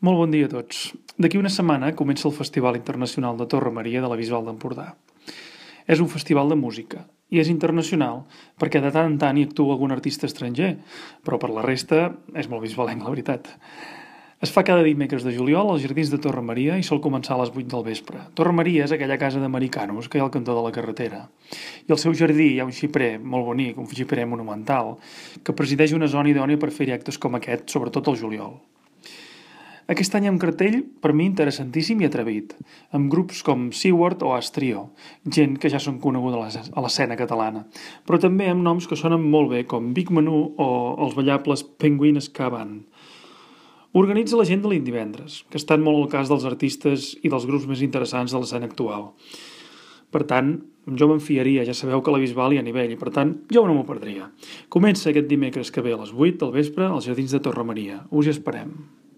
Molt bon dia a tots. D'aquí una setmana comença el Festival Internacional de Torre Maria de la Bisbal d'Empordà. És un festival de música i és internacional perquè de tant en tant hi actua algun artista estranger, però per la resta és molt bisbalenc, la veritat. Es fa cada dimecres de juliol als Jardins de Torre Maria i sol començar a les 8 del vespre. Torre Maria és aquella casa d'americanos que hi ha al cantó de la carretera. I al seu jardí hi ha un xiprer molt bonic, un xiprer monumental, que presideix una zona idònia per fer actes com aquest, sobretot al juliol. Aquest any hi ha un cartell, per mi, interessantíssim i atrevit, amb grups com Seward o Astrio, gent que ja són coneguda a l'escena catalana, però també amb noms que sonen molt bé, com Big Manu o els ballables Penguin Ska Band. Organitza la gent de l'Indivendres, que estan molt al cas dels artistes i dels grups més interessants de l'escena actual. Per tant, jo me'n fiaria, ja sabeu que a la Bisbal hi ha nivell, i per tant, jo no m'ho perdria. Comença aquest dimecres que ve a les 8 del vespre als Jardins de Torre Maria. Us hi esperem.